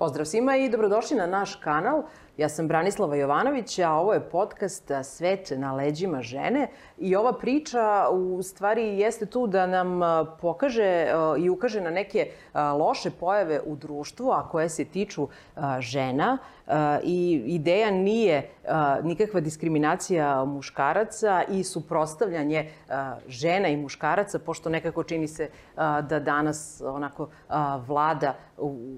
Pozdrav svima i dobrodošli na naš kanal. Ja sam Branislava Jovanović, a ovo je podcast Svet na leđima žene. I ova priča u stvari jeste tu da nam pokaže i ukaže na neke loše pojave u društvu, a koje se tiču žena. I ideja nije nikakva diskriminacija muškaraca i suprotstavljanje žena i muškaraca, pošto nekako čini se da danas onako vlada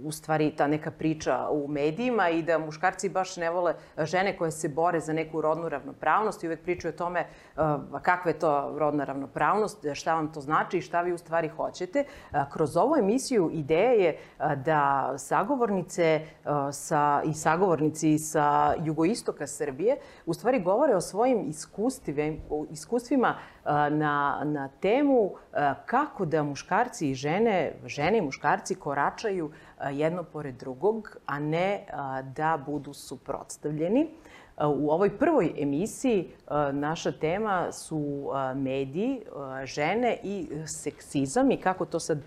u stvari ta neka priča u medijima i da muškarci baš ne vole žene koje se bore za neku rodnu ravnopravnost i uvek pričaju o tome kakva je to rodna ravnopravnost, šta vam to znači i šta vi u stvari hoćete. Kroz ovu emisiju ideja je da sagovornice i sagovornici sa jugoistoka Srbije u stvari govore o svojim iskustvima na temu kako da muškarci i žene i muškarci koračaju jedno pored drugog, a ne da budu suprotstavljeni. U ovoj prvoj emisiji naša tema su mediji, žene i seksizam i kako to sad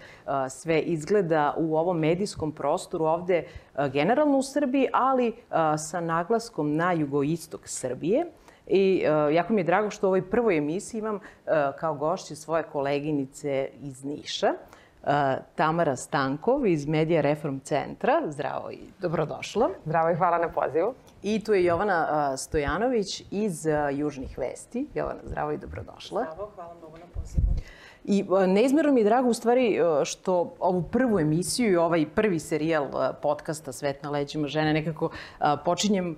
sve izgleda u ovom medijskom prostoru ovde generalno u Srbiji, ali sa naglaskom na jugoistok Srbije. I jako mi je drago što u ovoj prvoj emisiji imam kao gošće svoje koleginice iz Niša. Tamara Stankov iz Medija Reform centra. Zdravo i dobrodošla. Zdravo i hvala na pozivu. I tu je Jovana Stojanović iz Južnih vesti. Jovana, zdravo i dobrodošla. Zdravo, hvala mnogo na pozivu. I neizmjerno mi je drago u stvari što ovu prvu emisiju i ovaj prvi serijal podcasta Svet na leđima žene nekako počinjem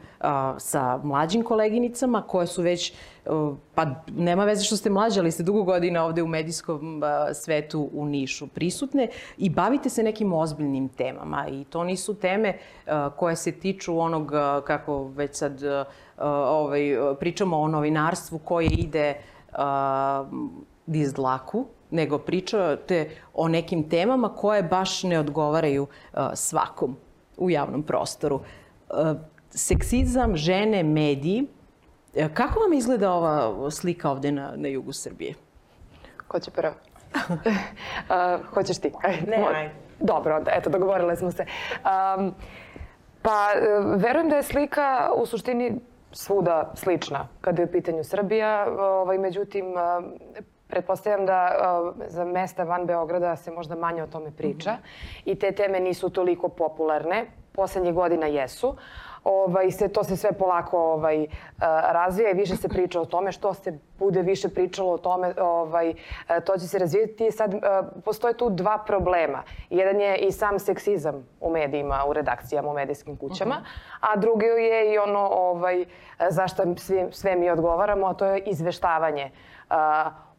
sa mlađim koleginicama koje su već, pa nema veze što ste mlađe, ali ste dugo godina ovde u medijskom svetu u Nišu prisutne i bavite se nekim ozbiljnim temama. I to nisu teme koje se tiču onog, kako već sad pričamo o novinarstvu koje ide niz dlaku, nego pričate o nekim temama koje baš ne odgovaraju svakom u javnom prostoru. Seksizam, žene, mediji. Kako vam izgleda ova slika ovde na jugu Srbije? Ko će prvo? Hoćeš ti? Ne, ajde. Dobro, eto, dogovorile smo se. Pa, verujem da je slika u suštini svuda slična kada je u pitanju Srbija. Međutim, pretpostavljam da za mesta van Beograda se možda manje o tome priča i te teme nisu toliko popularne. Poslednjih godina jesu. To se sve polako razvija i više se priča o tome. Što se bude više pričalo o tome, to će se razvijeti. Sad, postoje tu dva problema. Jedan je i sam seksizam u medijima, u redakcijama, u medijskim kućama, a drugi je i ono zašto sve mi odgovaramo, a to je izveštavanje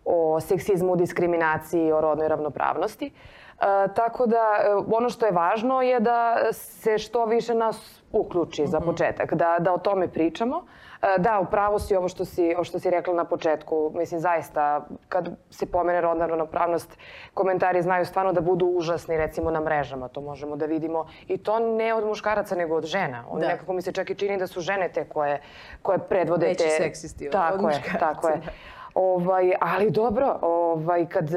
o seksizmu, diskriminaciji, o rodnoj ravnopravnosti. Tako da ono što je važno je da se što više nas uključi za početak, da o tome pričamo. Da, upravo si ovo što si rekla na početku. Mislim, zaista, kad se pomene rodna ravnopravnost, komentari znaju stvarno da budu užasni, recimo na mrežama. To možemo da vidimo. I to ne od muškaraca, nego od žena. Nekako mi se čak i čini da su žene te koje predvode te... Veći seksisti od muškaraca. Tako je. Ali dobro, kad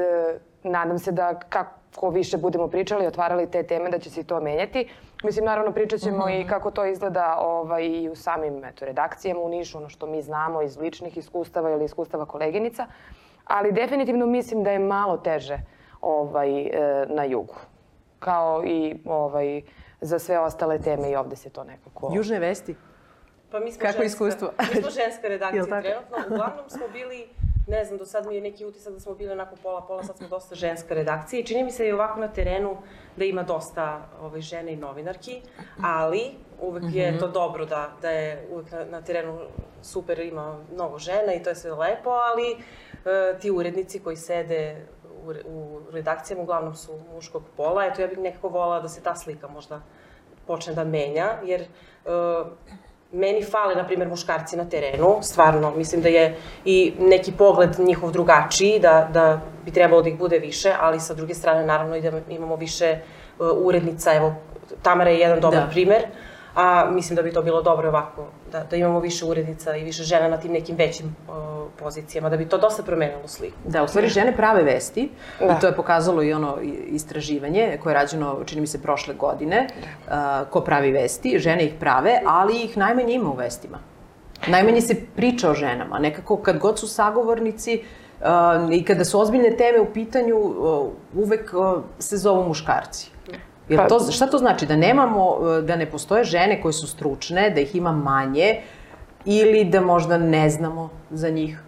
nadam se da kako više budemo pričali, otvarali te teme, da će se i to menjati. Mislim, naravno, pričat ćemo i kako to izgleda i u samim redakcijama u Nišu, ono što mi znamo iz ličnih iskustava ili iskustava koleginica. Ali definitivno mislim da je malo teže na jugu. Kao i za sve ostale teme i ovde se to nekako... Južne vesti? Pa mi smo kako iskustvo? Mi smo ženska redakcija trenutno. Uglavnom smo bili, ne znam, do sad mi je neki utisak da smo bili onako pola, sad smo dosta ženska redakcija i čini mi se i ovako na terenu da ima dosta žene i novinarki, ali uvek je to dobro da je uvek na terenu super, ima mnogo žena i to je sve lepo, ali ti urednici koji sede u redakcijama uglavnom su muškog pola. Eto, ja bih nekako volala da se ta slika možda počne da menja, jer meni fale, na primjer, muškarci na terenu, stvarno, mislim da je i neki pogled njihov drugačiji, da bi trebalo da ih bude više, ali sa druge strane, naravno, i da imamo više urednica. Evo, Tamara je jedan dobar primer, a mislim da bi to bilo dobro ovako, da imamo više urednica i više žena na tim nekim većim pozicijama, da bi to dosta promenilo sliku. Da, u stvari žene prave vesti i to je pokazalo i ono istraživanje koje je rađeno, čini mi se, prošle godine. Ko pravi vesti, žene ih prave, ali ih najmanje ima u vestima. Najmanje se priča o ženama. Nekako kad god su sagovornici i kada su ozbiljne teme u pitanju, uvek se zovu muškarci. Šta to znači? Da ne postoje žene koje su stručne, da ih ima manje ili da možda ne znamo za njih?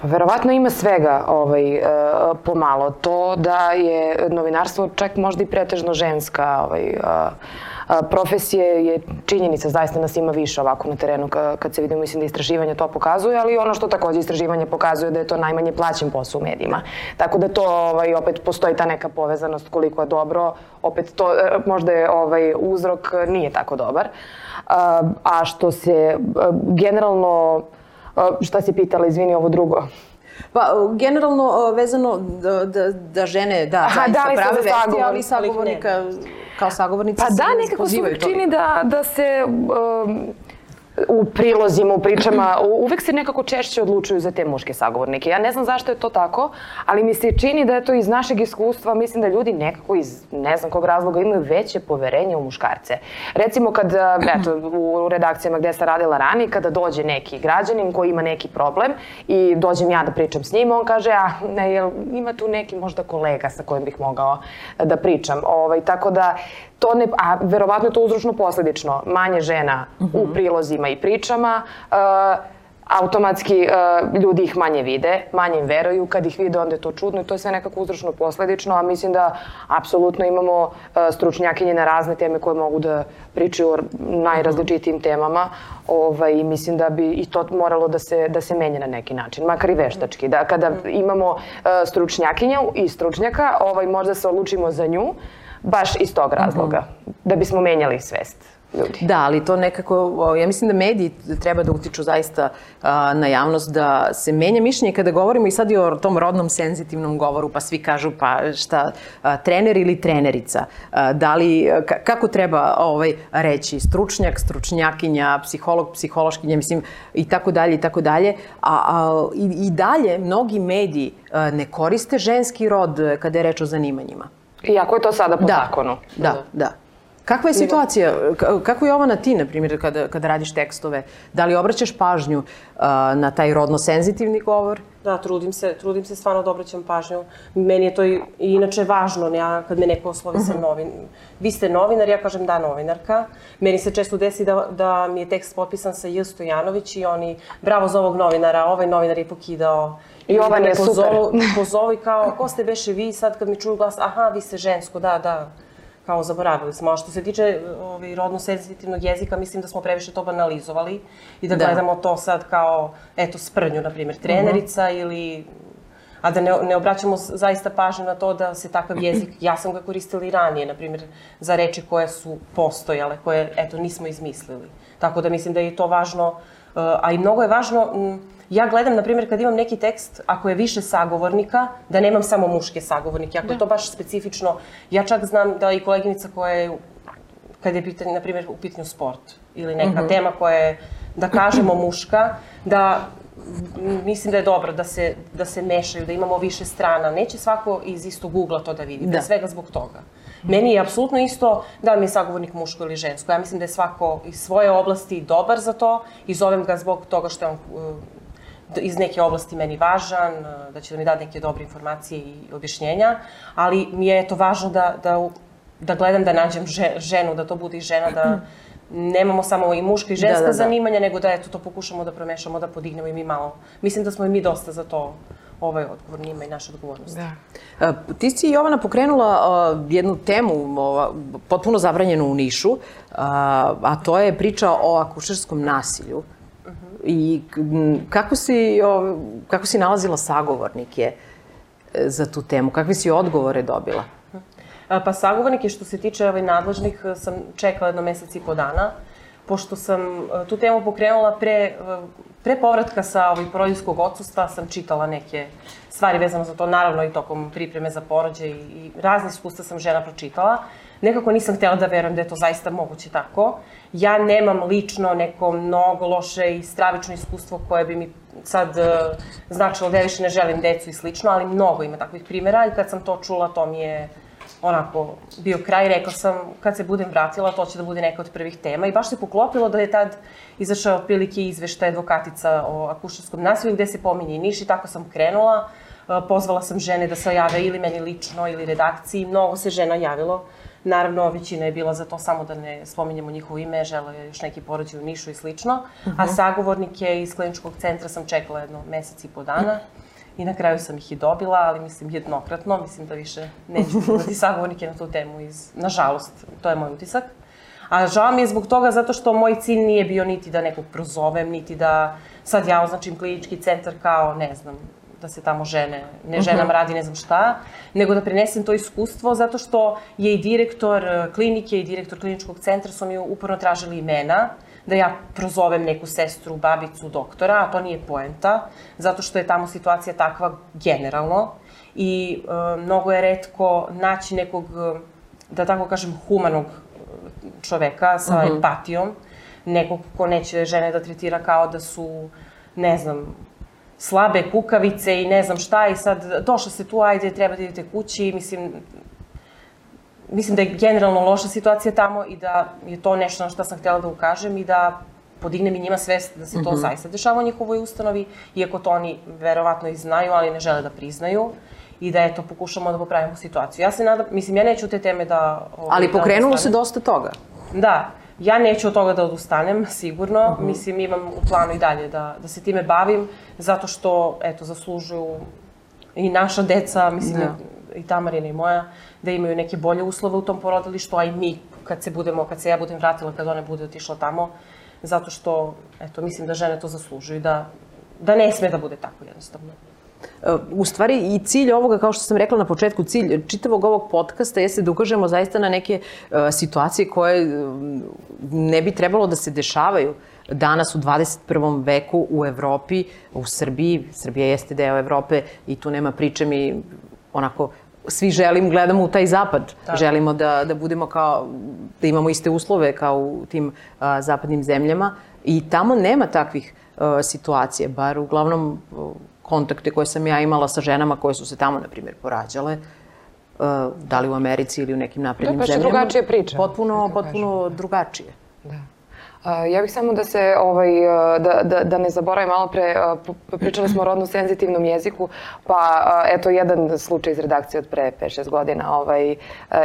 Pa verovatno ima svega pomalo. To da je novinarstvo čak možda i pretežno ženska profesije je činjenica, zaista nas ima više ovako na terenu kad se vidimo, mislim da istraživanje to pokazuje, ali ono što takođe istraživanje pokazuje da je to najmanje plaćen posao u medijima. Tako da to opet postoji ta neka povezanost koliko je dobro, opet to možda je uzrok nije tako dobar. A što se generalno, šta si pitala, izvini ovo drugo? Pa, generalno vezano da žene, zaista prave vesti, ali sagovornika, kao sagovornica se pozivaju to. Pa da, nekako se uvijek čini da se u prilozima, u pričama, uvek se nekako češće odlučuju za te muške sagovornike. Ja ne znam zašto je to tako, ali mi se čini da je to iz našeg iskustva, mislim da ljudi nekako iz ne znam kog razloga imaju veće poverenje u muškarce. Recimo kad, u redakcijama gde sam radila ranije, kada dođe neki građanin koji ima neki problem i dođem ja da pričam s njim, on kaže, ima tu neki možda kolega sa kojim bih mogao da pričam. Tako da, a verovatno je to uzročno posledično. Manje žena u prilozima i pričama, automatski ljudi ih manje vide, manje im veruju, kad ih vide onda je to čudno i to je sve nekako uzročno posledično, a mislim da apsolutno imamo stručnjakinje na razne teme koje mogu da pričaju o najrazličitijim temama i mislim da bi i to moralo da se menja na neki način, makar i veštački. Da kada imamo stručnjakinju i stručnjaka, možda se odlučimo za nju, baš iz tog razloga, da bismo menjali svest ljudi. Da, ali to nekako, ja mislim da mediji treba da utiču zaista na javnost, da se menja mišljenje kada govorimo i sad i o tom rodnom senzitivnom govoru, pa svi kažu pa šta, trener ili trenerica, kako treba reći, stručnjak, stručnjakinja, psiholog, psihološkinja, mislim, i tako dalje, i tako dalje. I dalje mnogi mediji ne koriste ženski rod kada je reč o zanimanjima. Iako je to sada po zakonu. Da. Kakva je situacija? Kako je Jovana ti, na primjer, kada radiš tekstove? Da li obraćaš pažnju na taj rodno-senzitivni govor? Da, trudim se stvarno da obraćam pažnju. Meni je to i inače važno, kad me neko oslovi sa vi ste novinar, ja kažem da, novinarka. Meni se često desi da mi je tekst potpisan sa J. Stojanović i oni, bravo za ovog novinara, ovaj novinar je pokidao. I Jovan je super. Pozovu i kao, ko ste beše vi, sad kad mi čuju glas, aha, vi ste žensko, da. Kao zaboravili smo. A što se tiče rodno-senzitivnog jezika, mislim da smo previše to banalizovali i da gledamo to sad kao, sprdnju, na primjer, trenerica ili... A da ne obraćamo zaista pažnju na to da se takav jezik, ja sam ga koristila i ranije, na primjer, za reči koje su postojale, koje, nismo izmislili. Tako da mislim da je to važno, a i mnogo je važno... Ja gledam, na primjer, kad imam neki tekst, ako je više sagovornika, da nemam samo muške sagovornike. Ako je to baš specifično, ja čak znam da i koleginica koja je, kad je pitanje, na primjer, u pitanju sport ili neka tema koja je, da kažemo, muška, da mislim da je dobro da se mešaju, da imamo više strana. Neće svako iz istog ugla to da vidi, pre svega zbog toga. Meni je apsolutno isto da mi je sagovornik muško ili žensko. Ja mislim da je svako iz svoje oblasti dobar za to i zovem ga zbog toga što je on iz neke oblasti meni važan, da će da mi dati neke dobre informacije i objašnjenja, ali mi je važno da gledam da nađem ženu, da to bude i žena, da nemamo samo i muška i ženska zanimanja, nego da to pokušamo da promešamo, da podignemo i mi malo. Mislim da smo i mi dosta za to odgovorni, ima i naša odgovornost. Ti si, Jovana, pokrenula jednu temu potpuno zabranjenu u Nišu, a to je priča o akušerskom nasilju. I kako si nalazila sagovornike za tu temu? Kakve si odgovore dobila? Pa sagovornike što se tiče nadležnih sam čekala 1 mesec i po dana, pošto sam tu temu pokrenula pre povratka sa porodiljskog odsustva, sam čitala neke stvari vezano za to, naravno i tokom pripreme za porođaj i razne iskustva sam žena pročitala. nekako nisam htjela da verujem da je to zaista moguće tako. Ja nemam lično neko mnogo loše i stravično iskustvo koje bi mi sad značilo da ja više ne želim decu i slično, ali mnogo ima takvih primjera i kad sam to čula, to mi je onako bio kraj. Rekla sam, kad se budem vratila, to će da bude neka od prvih tema. I baš se poklopilo da je tad izašao otprilike izveštaj advokatica o akušerskom nasilju gde se pominje i Niš i tako sam krenula. Pozvala sam žene da se jave ili meni lično ili redakciji. Mnogo se žena javilo. Naravno, većina je bila za to, samo da ne spominjemo njihovo ime, žele još neki porođaj u Nišu i slično. A sagovornike iz kliničkog centra sam čekala jedno mesec i po dana. I na kraju sam ih i dobila, ali mislim jednokratno. Mislim da više neću imati sagovornike na tu temu. Nažalost, to je moj utisak. A žao mi je zbog toga zato što moj cilj nije bio niti da nekog prozovem, niti da sad ja označim klinički centar kao, ne znam, da se tamo ženama radi ne znam šta, nego da prenesem to iskustvo zato što je i direktor klinike i direktor kliničkog centra su mi uporno tražili imena, da ja prozovem neku sestru, babicu, doktora, a to nije poenta, zato što je tamo situacija takva generalno i mnogo je retko naći nekog, da tako kažem, humanog čoveka sa empatijom, nekog ko neće žene da tretira kao da su, ne znam, slabe kukavice i ne znam šta i sad došla se tu, ajde, treba da idete kući. Mislim da je generalno loša situacija tamo i da je to nešto na što sam htjela da ukažem i da podignem i njima svest da se to zaista dešava u njihovoj ustanovi, iako to oni verovatno i znaju, ali ne žele da priznaju i da, eto, pokušamo da popravimo situaciju. Ja se nadam, mislim, ja neću te teme da... Ali pokrenulo se dosta toga. Da. Ja neću od toga da odustanem, sigurno. Mislim, imam u planu i dalje da se time bavim, zato što, eto, zaslužuju i naša deca, mislim, i Tamarina i moja, da imaju neke bolje uslove u tom porodilištu, a i mi, kad se ja budem vratila, kad one bude otišla tamo, zato što, eto, mislim da žene to zaslužuju i da ne sme da bude tako jednostavno. U stvari i cilj ovoga, kao što sam rekla na početku, cilj čitavog ovog podcasta jeste da ukažemo zaista na neke situacije koje ne bi trebalo da se dešavaju danas u 21. veku u Evropi, u Srbiji. Srbija jeste deo Evrope i tu nema priče, mi onako svi gledamo u taj zapad. Želimo da budemo kao, da imamo iste uslove kao u tim zapadnim zemljama i tamo nema takvih situacija, bar uglavnom kontakte koje sam ja imala sa ženama koje su se tamo, na primjer, porađale, da li u Americi ili u nekim naprednim zemljama. To je drugačija priča. Potpuno drugačije. Da. Ja bih samo da se, da ne zaboravim malo pre, pričali smo o rodno senzitivnom jeziku, pa eto jedan slučaj iz redakcije od pre 5-6 godina.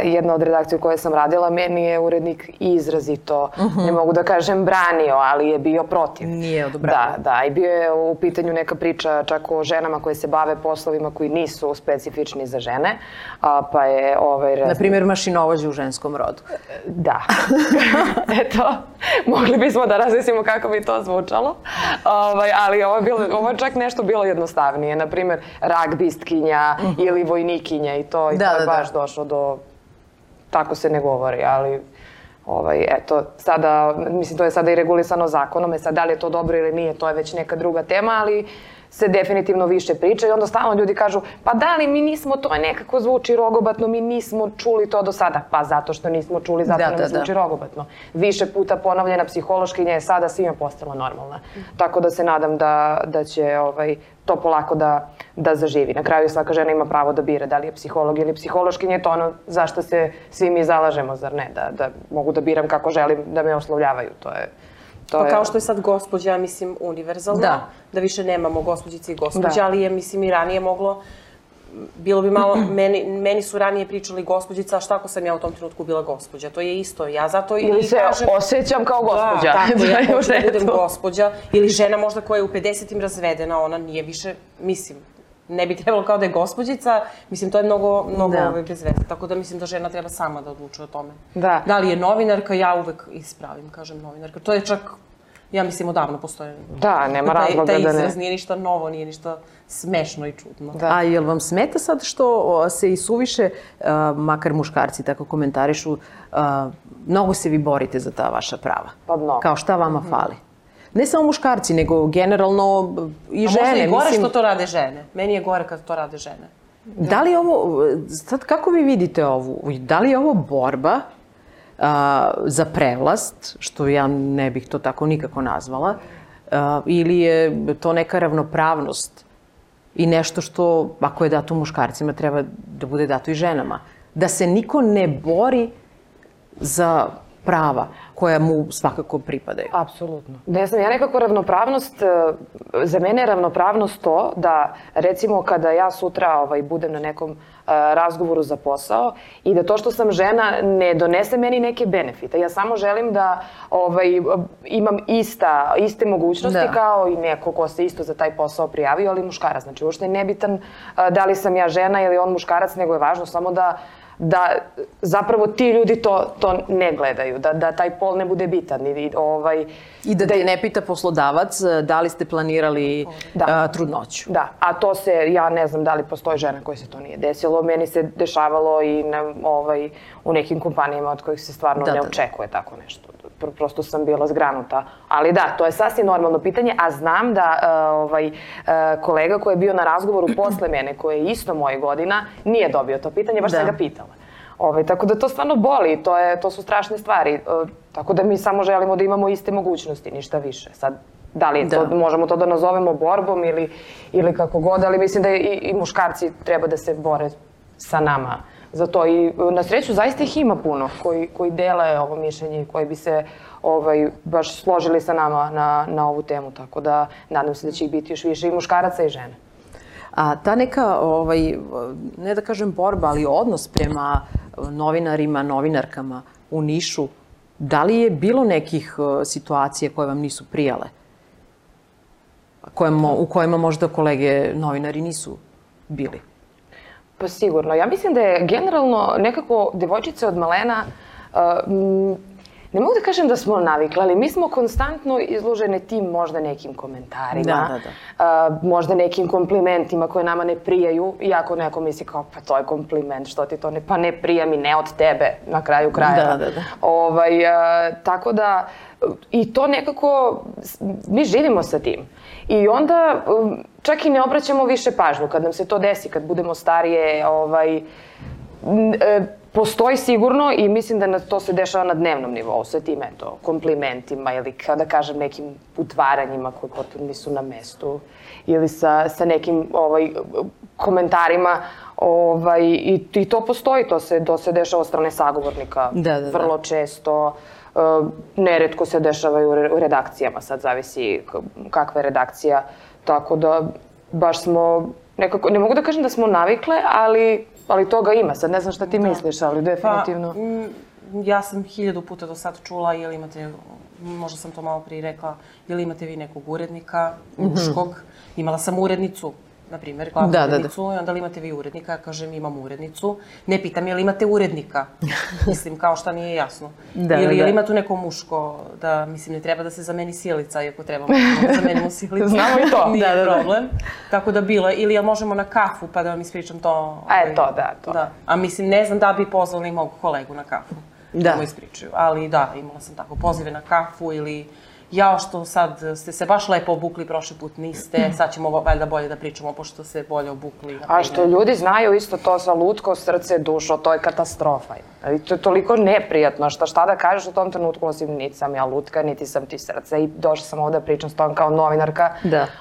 Jedna od redakcija u kojoj sam radila, meni je urednik izrazito, ne mogu da kažem branio, ali je bio protiv. Nije odobravao. Da, i bio je u pitanju neka priča čak o ženama koje se bave poslovima koji nisu specifični za žene, pa je... Na primjer, mašinovođe u ženskom rodu. Da. Eto, mogli bismo da razmislimo kako bi to zvučalo, ali ovo je čak nešto bilo jednostavnije. Naprimjer, ragbistkinja ili vojnikinja i to je baš došlo do... Tako se ne govori, ali... Eto, sada, mislim, to je sada i regulisano zakonom, sad da li je to dobro ili nije, to je već neka druga tema, ali se definitivno više priča i onda stalno ljudi kažu, pa da li mi nismo, to nekako zvuči rogobatno, mi nismo čuli to do sada. Pa zato što nismo čuli, zato nam zvuči rogobatno. Više puta ponovljena psihološkinja je sada svima postala normalna. Tako da se nadam da će to polako da zaživi. Na kraju svaka žena ima pravo da bira da li je psiholog ili psihološkinja, je to ono zašto se svi mi zalažemo, zar ne? Da mogu da biram kako želim da me oslovljavaju, to je... Pa kao što je sad gospođa, mislim, univerzalna, da više nemamo gospođice i gospođe, ali je, mislim, i ranije moglo, bilo bi malo, meni su ranije pričali gospođica, a šta ako sam ja u tom trenutku bila gospođa? To je isto, ja zato ili se osjećam kao gospođa. Tako, ja hoću da budem gospođa, ili žena možda koja je u 50-im razvedena, ona nije više, mislim, ne bi trebalo kao da je gospođica, mislim, to je mnogo bez veze. Tako da mislim da žena treba sama da odlučuje o tome. Da li je novinarka, ja uvek ispravim, kažem novinarka. To je čak, ja mislim, odavno postoje. Da, nema razloga da ne. Taj izraz nije ništa novo, nije ništa smešno i čudno. A jel vam smeta sad što se i suviše, makar muškarci tako komentarišu, mnogo se vi borite za ta vaša prava? Pa mnogo. Kao šta vama fali? Ne samo muškarci, nego generalno i žene. A možda i gore što to rade žene. Meni je gore kad to rade žene. Da li ovo, sad kako vi vidite ovu, da li je ovo borba za prevlast, što ja ne bih to tako nikako nazvala, ili je to neka ravnopravnost i nešto što, ako je dato muškarcima, treba da bude dato i ženama? Da se niko ne bori za prava koja mu svakako pripadaju. Apsolutno. Ne znam, ja nekako ravnopravnost, za mene je ravnopravnost to da, recimo, kada ja sutra budem na nekom razgovoru za posao i da to što sam žena ne donese meni neke benefite. Ja samo želim da imam iste mogućnosti kao i neko ko se isto za taj posao prijavio, ali muškarac. Znači, uopšte je nebitan da li sam ja žena ili on muškarac, nego je važno samo da zapravo ti ljudi to ne gledaju, da taj pol ne bude bitan. I da te ne pita poslodavac da li ste planirali trudnoću. Da, a to se, ja ne znam da li postoji žena koja se to nije desilo. Meni se dešavalo i u nekim kompanijama od kojih se stvarno ne očekuje tako nešto. Prosto sam bila zgranuta. Ali da, to je sasvim normalno pitanje, a znam da kolega koji je bio na razgovoru posle mene, koji je isto moje godina, nije dobio to pitanje, baš sam ga pitala. Tako da to stvarno boli, to su strašne stvari. Tako da mi samo želimo da imamo iste mogućnosti, ništa više. Sad, da li možemo to da nazovemo borbom ili kako god, ali mislim da i muškarci treba da se bore sa nama za to. I na sreću zaista ih ima puno koji dele ovo mišljenje i koji bi se baš složili sa nama na ovu temu. Tako da nadam se da će ih biti još više i muškaraca i žene. A ta neka, ne da kažem borba, ali odnos prema novinarima, novinarkama u Nišu, da li je bilo nekih situacija koje vam nisu prijale? U kojima možda kolege novinari nisu bili? Pa sigurno. Ja mislim da je generalno nekako devojčice od malena, ne mogu da kažem da smo navikli, ali mi smo konstantno izložene tim možda nekim komentarima, možda nekim komplimentima koje nama ne prijaju, iako neko misli kao pa to je kompliment, što ti to ne, pa ne prija mi, ne od tebe na kraju krajeva. Tako da, i to nekako, mi živimo sa tim. I onda čak i ne obraćamo više pažnju kad nam se to desi, kad budemo starije, postoji sigurno i mislim da to se dešava na dnevnom nivou sa tim, komplimentima ili, kao da kažem, nekim utvaranjima koji potom nisu na mestu ili sa nekim komentarima i to postoji, to se dešava od strane sagovornika vrlo često. Neretko se dešavaju u redakcijama, sad zavisi kakva je redakcija, tako da baš smo nekako, ne mogu da kažem da smo navikle, ali toga ima. Sad ne znam šta ti misliš, ali definitivno. Ja sam 1000 puta do sad čula, jel imate, možda sam to malo prije rekla, jel imate vi nekog urednika, muškog. Imala sam urednicu, na primjer, glavnu urednicu, i onda li imate vi urednika? Ja kažem, imam urednicu. Ne pitam, jel imate urednika? Mislim, kao šta nije jasno. Ili jel ima tu neko muško, da, mislim, ne treba da se zameni sjelica, iako trebamo da zamenimo sjelicu. Znamo i to. Nije problem. Tako da bilo, ili jel možemo na kafu, pa da vam ispričam to. To. A mislim, ne znam da bi pozvali mog kolegu na kafu. Da mu ispričaju. Ali da, imala sam tako pozive na kafu ili jao što sad ste se baš lepo obukli, prošli put niste, sad ćemo valjda bolje da pričamo pošto se bolje obukli. A što ljudi znaju isto to sa lutko, srce, dušo, to je katastrofa. To je toliko neprijatno, šta da kažeš u tom trenutku, osim niti sam ja lutka, niti sam ti srce i došla sam ovdje da pričam s tom kao novinarka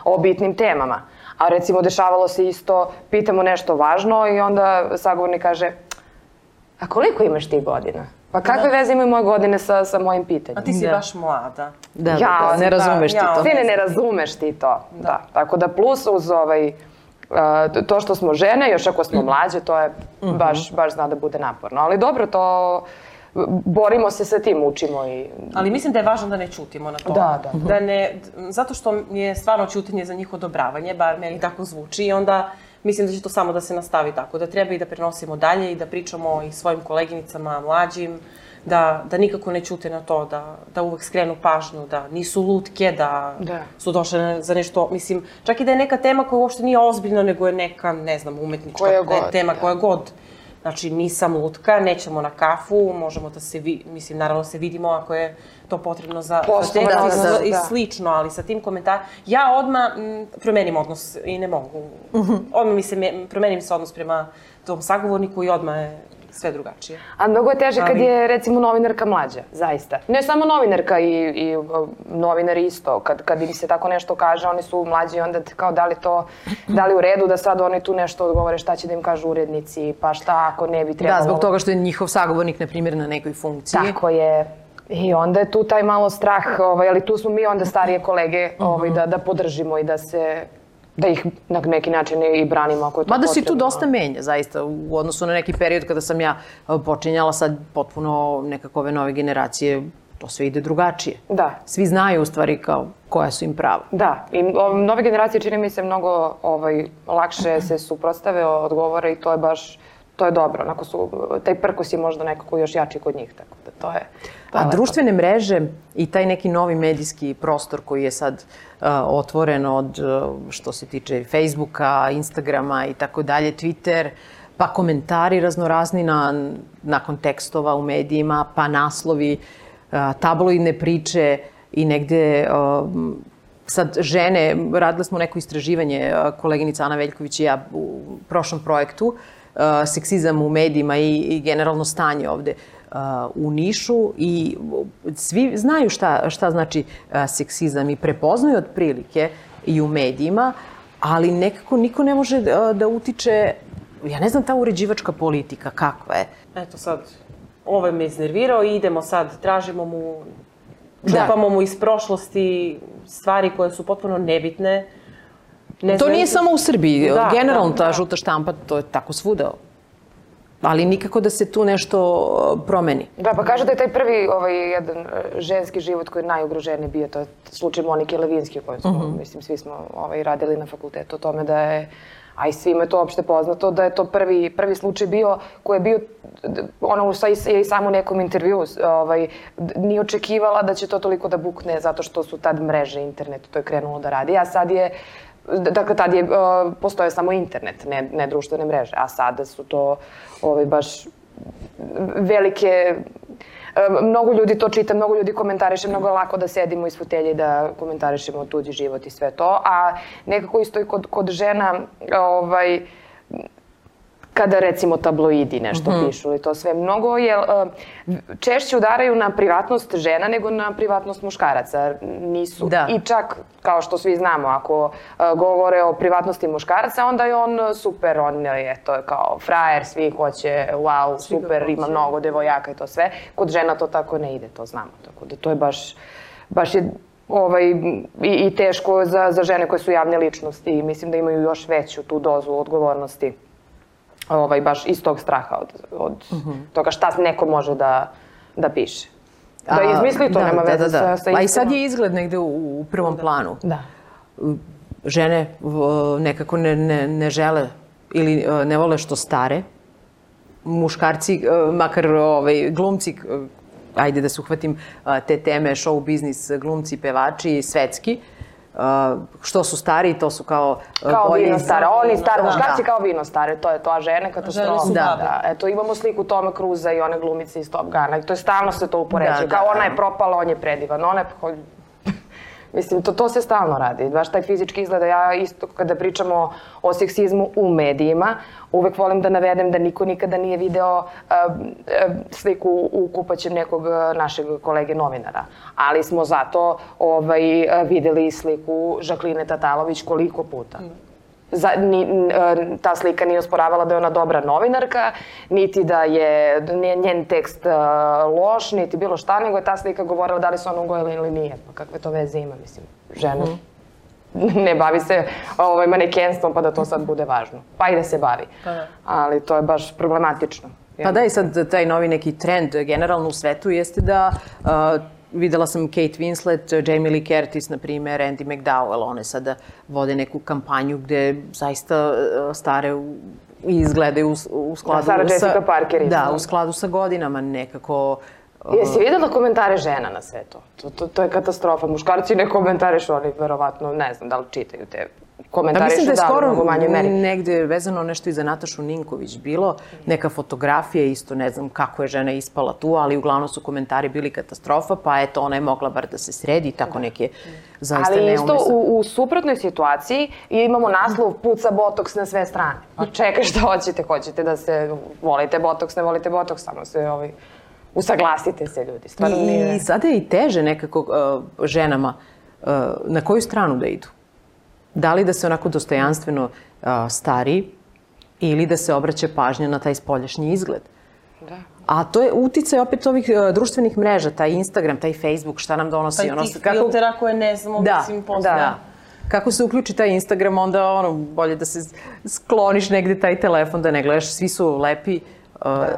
o bitnim temama. A recimo dešavalo se isto, pitamo nešto važno i onda sagovornik kaže, a koliko imaš ti godina? Pa kakve veze imaju moje godine sa mojim pitanjem? A ti si baš mlada. Ne razumeš ti to. Sine, ne razumeš ti to. Tako da plus uz to što smo žene, još ako smo mlađe, to je baš zna da bude naporno. Ali dobro, to borimo se sa tim, učimo i... Ali mislim da je važno da ne ćutimo na to. Da ne, zato što mi je stvarno ćutanje za njih odobravanje, bar meni tako zvuči i onda mislim da će to samo da se nastavi tako, da treba i da prenosimo dalje i da pričamo i svojim koleginicama, mlađim, da nikako ne ćute na to, da uvek skrenu pažnju, da nisu lutke, da su došle za nešto, mislim, čak i da je neka tema koja uopšte nije ozbiljna, nego je neka, ne znam, umetnička tema, koja god. Znači, nisam lutka, nećemo na kafu, možemo da se, mislim, naravno se vidimo ako je to potrebno za tekst i slično, ali sa tim komentarom... Ja odmah promenim odnos i ne mogu. Odmah promenim se odnos prema tom sagovorniku i odmah je sve drugačije. A mnogo je teže kad je, recimo, novinarka mlađa, zaista. Ne samo novinarka i novinari isto. Kad im se tako nešto kaže, oni su mlađi i onda kao da li u redu da sad oni tu nešto odgovore, šta će da im kažu urednici, pa šta ako ne bi trebalo... Da, zbog toga što je njihov sagovornik, na primjer, na nekoj funkciji. Tako je. I onda je tu taj malo strah, ali tu smo mi onda starije kolege da podržimo i da ih na neki način i branimo ako je to potrebno. Mada se tu dosta menja, zaista, u odnosu na neki period kada sam ja počinjala, sad potpuno nekako ove nove generacije, to sve ide drugačije. Da. Svi znaju u stvari kao koja su im prava. Da, i nove generacije čini mi se mnogo lakše se suprotstave, odgovore i to je baš, to je dobro. Onako taj prkos je možda nekako još jači kod njih, tako da to je... A društvene mreže i taj neki novi medijski prostor koji je sad otvoren od što se tiče Facebooka, Instagrama i tako dalje, Twitter, pa komentari raznorazni nakon tekstova u medijima, pa naslovi, tabloidne priče i negde sad žene, radile smo neko istraživanje, koleginica Ana Veljković i ja u prošlom projektu, seksizam u medijima i generalno stanje ovde u Nišu i svi znaju šta znači seksizam i prepoznaju otprilike i u medijima, ali nekako niko ne može da utiče, ja ne znam ta uređivačka politika kakva je. Eto sad, ovaj me iznervirao i idemo sad, tražimo mu, čupamo mu iz prošlosti stvari koje su potpuno nebitne. To nije samo u Srbiji, generalno ta žuta štampa, to je tako svuda. Ali nikako da se tu nešto promeni. Da, pa kaže da je taj prvi jedan ženski život koji je najugroženiji bio, to je slučaj Monike Levinski, koju smo, mislim, svi smo radili na fakultetu o tome da je, a i svima je to opšte poznato, da je to prvi slučaj bio koji je bio, ona je i samo u nekom intervju nije očekivala da će to toliko da bukne zato što su tad mreže, internet, to je krenulo da radi, a sad je dakle, tad je postoje samo internet, ne društvene mreže, a sada su to baš velike... Mnogo ljudi to čita, mnogo ljudi komentariše, mnogo je lako da sedimo iz fotelje i da komentarišemo tuđi život i sve to, a nekako isto i kod žena, kada recimo tabloidi nešto pišu ili to sve, mnogo je, češće udaraju na privatnost žena nego na privatnost muškaraca. Nisu. I čak, kao što svi znamo, ako govore o privatnosti muškaraca, onda je on super, on je to kao frajer, svi hoće, wow, super, ima mnogo devojaka i to sve. Kod žena to tako ne ide, to znamo. Tako da to je baš je i teško za žene koje su javne ličnosti i mislim da imaju još veću tu dozu odgovornosti. Baš iz tog straha od toga šta neko može da piše. Da izmisli to, nema veze sa istinom. A i sad je izgled negde u prvom planu. Da. Žene nekako ne žele ili ne vole što stare. Muškarci, makar glumci, ajde da se uhvatim te teme, show biznis, glumci, pevači, svetski, što su stari, to su kao... Kao vino stare. Oni stari, muškarci kao vino stare, to je to, a žene katastrofa. Žene su babe. Eto, imamo sliku Toma Cruza i one glumice iz Top Guna. To je stalno se to upoređuje. Kao ona je propala, on je predivan. Ona je... Mislim, to se stalno radi. Baš taj fizički izgleda. Ja isto kada pričamo o seksizmu u medijima, uvek volim da navedem da niko nikada nije video sliku u kupaćem nekog našeg kolege novinara. Ali smo zato videli sliku Žakline Tatalović koliko puta. Ta slika nije osporavala da je ona dobra novinarka, niti da je njen tekst loš, niti bilo šta, nego je ta slika govorila da li se ona ugojila ili nije. Pa kakve to veze ima, mislim, žena ne bavi se manekenstvom pa da to sad bude važno. Pa i da se bavi. Ali to je baš problematično. Pa da, i sad taj novi neki trend generalno u svetu jeste da videla sam Kate Winslet, Jamie Lee Curtis, na primjer, Andie McDowell. One sada vode neku kampanju gde zaista stare izgledaju u skladu sa... Sarah Jessica Parker. Da, u skladu sa godinama nekako... Jesi videla komentare žena na sve to? To je katastrofa. Muškarci ne komentarišu, oni verovatno, ne znam da li čitaju te komentarišu da je skoro u manjoj meri. negde vezano nešto i za Natašu Ninković bilo, neka fotografija isto, ne znam kako je žena ispala tu, ali uglavnom su komentari bili katastrofa, pa eto, ona je mogla bar da se sredi i tako neke zaista neumesne. Ali isto u suprotnoj situaciji imamo naslov puca botoks na sve strane. Pa čekaj, šta hoćete? Hoćete da se volite botoks, ne volite botoks, samo se usaglasite se, ljudi. Stvarno nije... I sada je i teže nekako ženama na koju stranu da idu. Da li da se onako dostojanstveno stari ili da se obraća pažnja na taj spoljašnji izgled. Da. A to je uticaj opet ovih društvenih mreža, taj Instagram, taj Facebook, šta nam donosi. Pa i tih filtera koje ne znamo, mislim, posle. Da. Kako se uključi taj Instagram, onda bolje da se skloniš negde taj telefon, da ne gledaš. Svi su lepi,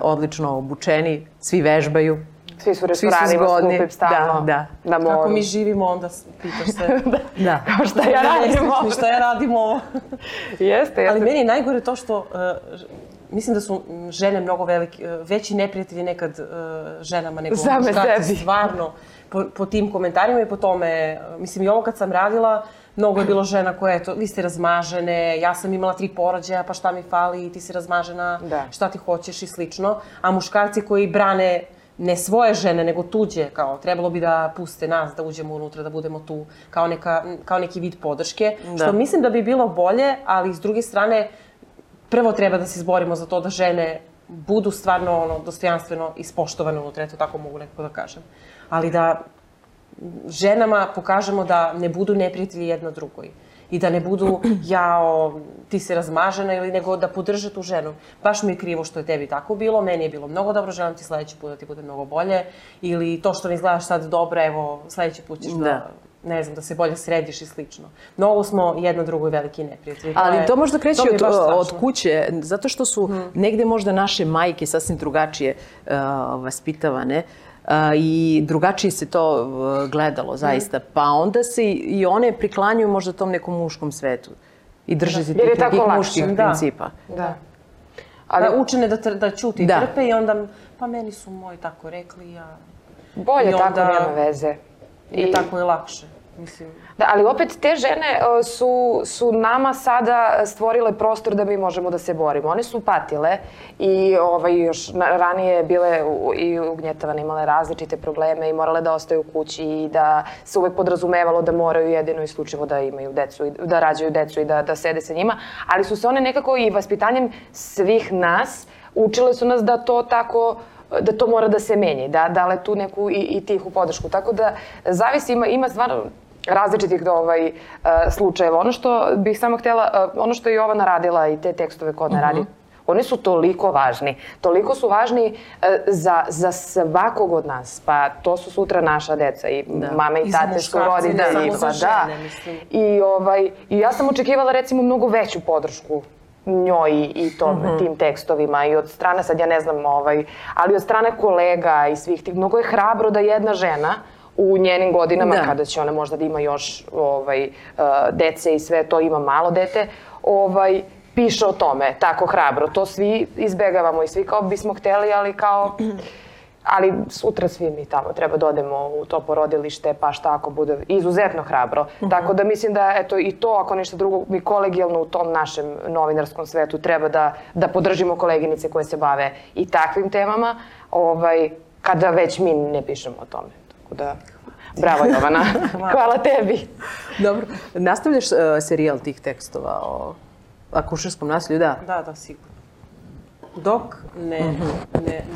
odlično obučeni, svi vežbaju. Svi su restoranima skupim stalno. Da. Kako mi živimo, onda pitaš se. Da. Kao šta ja radim ovo. Šta ja radim ovo. Jeste. Ali meni je najgore to što mislim da su žene mnogo veći neprijatelji nekad ženama nego muškarci. Stvarno, po tim komentarima i po tome. Mislim, i ovo kad sam radila, mnogo je bilo žena koje, eto, vi ste razmažene, ja sam imala 3 porođaja, pa šta mi fali, ti si razmažena, šta ti hoćeš i slično. A muškarci koji brane ne svoje žene, nego tuđe, kao trebalo bi da puste nas, da uđemo unutra, da budemo tu kao neki vid podrške. Što mislim da bi bilo bolje, ali s druge strane, prvo treba da se izborimo za to da žene budu stvarno dostojanstveno ispoštovane unutra, eto tako mogu nekako da kažem. Ali da ženama pokažemo da ne budu neprijatelji jedna drugoj. I da ne budu, jao, ti si razmažena, ili nego da podrže tu ženu. Baš mi je krivo što je tebi tako bilo, meni je bilo mnogo dobro, želim ti sledeći put da ti bude mnogo bolje. Ili to što ne izgledaš sad dobro, evo, sledeći put ćeš ne znam, da se bolje središ i slično. Mnogo smo jedna drugoj veliki neprijatelji. Ali to možda kreće od kuće, zato što su negde možda naše majke sasvim drugačije vaspitavane. I drugačije se to gledalo, zaista. Pa onda se i one priklanjuju možda tom nekom muškom svetu. I drže se tih nekih muških principa. Da. Ali učene da ćuti i trpe i onda, pa meni su moji tako rekli, ja... Bolje tako, nema veze. I tako je lakše. Da, ali opet te žene su nama sada stvorile prostor da mi možemo da se borimo. One su patile i još ranije bile i ugnjetavane, imale različite probleme i morale da ostaju u kući i da se uvek podrazumevalo da moraju jedino i isključivo da imaju decu, da rađaju decu i da sede sa njima. Ali su se one nekako i vaspitanjem svih nas učile su nas da to tako da to mora da se menja, da dale tu neku i tihu podršku. Tako da zavisi, ima stvarno različitih slučajeva. Ono što bih samo htjela, ono što je Jovana radila i te tekstove koje ona radi, oni su toliko važni. Toliko su važni za svakog od nas. Pa to su sutra naša deca i mame i tate su roditelji. I za žene, mislim. I ja sam očekivala recimo mnogo veću podršku njoj i tim tekstovima i od strane, sad ja ne znam, ali od strane kolega i svih tih. Mnogo je hrabro da jedna žena u njenim godinama, kada će ona možda da ima još dece i sve to, ima malo dete, piše o tome tako hrabro. To svi izbegavamo i svi kao bismo hteli, ali sutra svi mi tamo treba da odemo u to porodilište, pa šta ako bude izuzetno hrabro. Tako da mislim da eto i to, ako ništa drugo, mi kolegijalno u tom našem novinarskom svetu treba da podržimo koleginice koje se bave i takvim temama, kada već mi ne pišemo o tome. Tako da, bravo Jovana, hvala tebi. Dobro, nastavljaš serijal tih tekstova o akušerskom nasilju, da? Da, sigurno.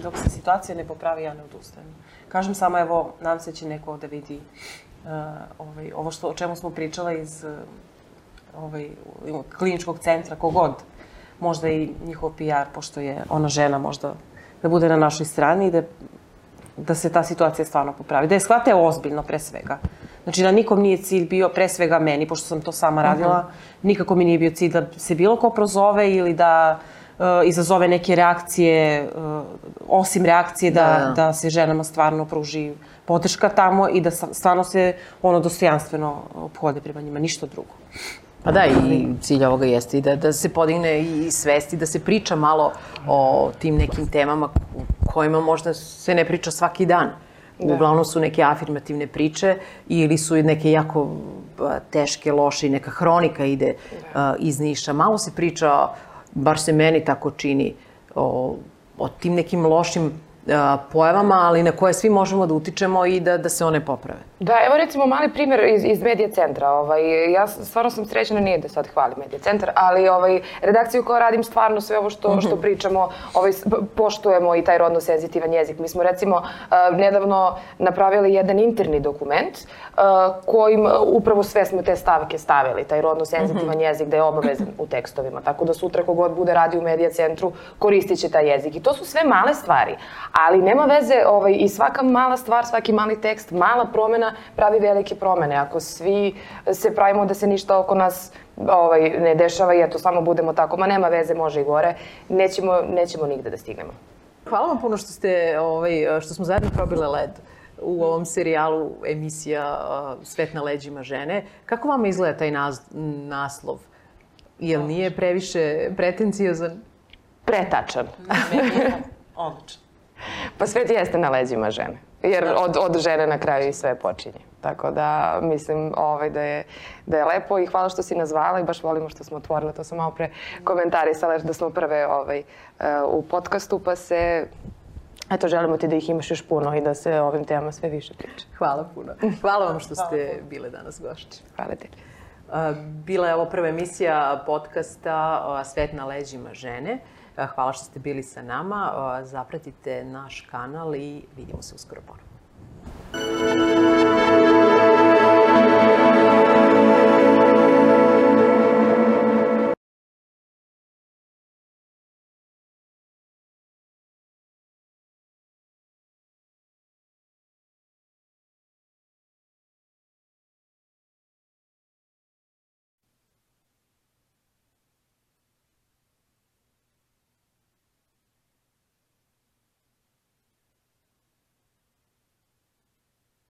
Dok se situacija ne popravi, ja ne odustajem. Kažem samo, evo, nadam se će neko da vidi ovo o čemu smo pričala iz kliničkog centra, kogod, možda i njihov PR, pošto je ona žena, možda da bude na našoj strani i da se ta situacija stvarno popravi. Da je shvate ozbiljno, pre svega. Znači da nikom nije cilj bio, pre svega meni, pošto sam to sama radila, nikako mi nije bio cilj da se bilo ko prozove ili da izazove neke reakcije, osim reakcije da se ženama stvarno pruži podrška tamo i da stvarno se dostojanstveno ophode prema njima, ništa drugo. Pa da, i cilj ovoga jeste i da se podigne i svesti, da se priča malo o tim nekim temama kojima možda se ne priča svaki dan. Uglavnom su neke afirmativne priče ili su neke jako teške, loše i neka hronika ide iz Niša. Malo se priča, bar se meni tako čini, o tim nekim lošim pojavama, ali na koje svi možemo da utičemo i da se one poprave. Da, evo recimo mali primjer iz Medija centra. Ja stvarno sam srećena, nije da sad hvalim Medija centar, ali redakciju koja radim stvarno sve ovo što pričamo, poštujemo i taj rodno senzitivan jezik. Mi smo recimo nedavno napravili jedan interni dokument kojim upravo sve smo te stavke stavili, taj rodno senzitivan jezik da je obavezan u tekstovima. Tako da sutra kogod bude radi u Medija centru koristit će taj jezik. I to su sve male stvari, ali nema veze i svaka mala stvar, svaki mali tekst, mala promjena pravi velike promjene. Ako svi se pravimo da se ništa oko nas ne dešava i eto samo budemo tako, ma nema veze, može i gore, nećemo nigde da stignemo. Hvala vam puno što smo zajedno probile led u ovom serijalu emisija Svet na leđima žene. Kako vama izgleda taj naslov? Jel nije previše pretenciozan? Pretačan. Odlično. Pa svet jeste na leđima žene. Jer od žene na kraju i sve počinje. Tako da mislim da je lepo i hvala što si nas zvala i baš volimo što smo otvorile. To sam malo pre komentarisala da smo prve u podcastu pa se... Eto, želimo ti da ih imaš još puno i da se o ovim temama sve više priča. Hvala puno. Hvala vam što ste bile danas gošće. Hvala ti. Bila je ovo prva emisija podcasta Svet na leđima žene. Hvala što ste bili sa nama. Zapratite naš kanal i vidimo se uskoro ponovno.